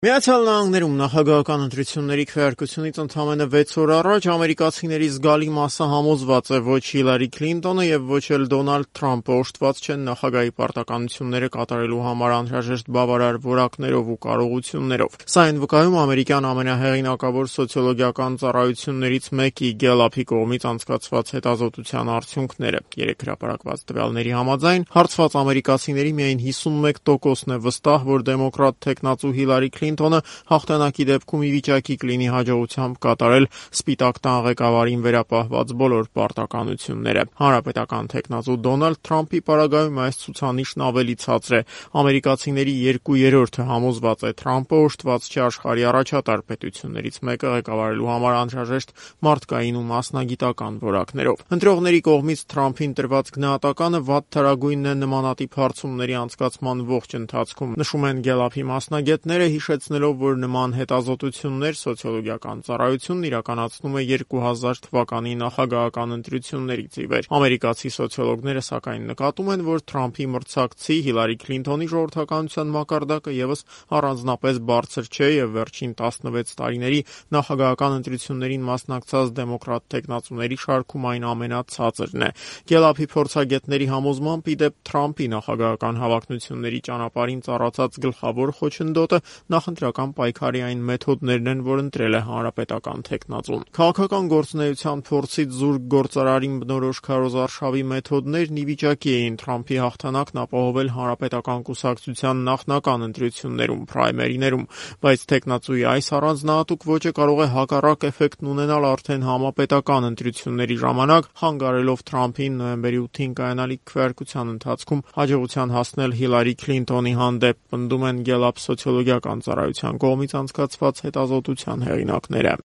Միացյալ Նահանգներում նախագահական ընտրությունների քվեարկությունից ընդամենը 6 օր առաջ ամերիկացիների զգալի մասը համոզված է ոչ Հիլարի Քլինտոնը եւ ոչ էլ Դոնալդ Թրամփը օժտված չեն նախագահի պարտականությունները կատարելու համար անհրաժեշտ բավարար որակներով ու կարողություններով։ Սա այն վկայում ամերիկյան ամենահեղինակավոր սոցիոլոգիական ծառայություններից մեկի Գելափի կողմից անցկացված հետազոտության արդյունքները։ Երեք հրապարակված տվյալների համաձայն հարցված ամերիկացիների միայն 51%-ն է վստահ, որ դեմոկրատ թեկնածու Հիլարի Քլինտոնը հաղթանակի դեպքում ի վիճակի կլինի հաջողությամբ կատարել Սպիտակ տան ղեկավարին վերապահված բոլոր պարտականությունները։ Հանրապետական թեկնածու Դոնալդ Թրամփի պարագայում այս ցուցանիշն ավելի ցածր է։ Ամերիկացիների 2/3-ը համոզված է Թրամփը օժտված չէ աշխարհի առաջատար պետություններից մեկը ղեկավարելու համար անհրաժեշտ մարդկային ու մասնագիտական որակներով։ Ընտրողների կողմից Թրամփին տրված գնահատականը վատթարագույնն է նմանատիպ հարցումների անցկացման ողջ ընթացքում, նշում են Գելափի մասնագետները, հիշեցնելով, որ նման հետազոտություններ սոցիոլոգիական ծառայությունն իրականացնում է 2000 թվականի նախագահական ընտրություններից ի վեր։ Ամերիկացի սոցիոլոգները սակայն նկատում են, որ Թրամփի մրցակցի Հիլարի Քլինտոնի ժողովրդականության մակարդակը եւս առանձնապես բարձր չէ եւ վերջին 16 տարիների նախագահական ընտրություններին մասնակցած դեմոկրատ թեկնածուների շարքում այն ամենացածրն է։ Գելափի փորձագետների համոզմամբ, ի դեպ, Թրամփի նախագահական հավակնությունների ճանապարհին ծառացած գլխավոր խոչընդոտը նախընտրական պայքարի այն մեթոդներն են, որ ընտրել է հանրապետական թեկնածուն։ Քաղաքական գործունեության փորձից զուրկ գործարարին բնորոշ քարոզարշավի մեթոդներն ի վիճակի էին Թրամփի հաղթանակն ապահովել հանրապետական կուսակցության նախնական ընտրություններում, փրայմերիներում, բայց թեկնածուի այս առանձնահատուկ ոճը կարող է հակառակ էֆեկտն ունենալ արդեն համապետական ընտրությունների ժամանակ, խանգարելով Թրամփին նոյեմբերի 8-ին կայանալիք քվեարկության ընթացքում հաջողության հասնել Հիլարի Քլինտոնի հանդեպ, պնդում են Գելափ սոցիոլոգիական ծառայության կողմից անցկացված հետազոտության հեղինակները։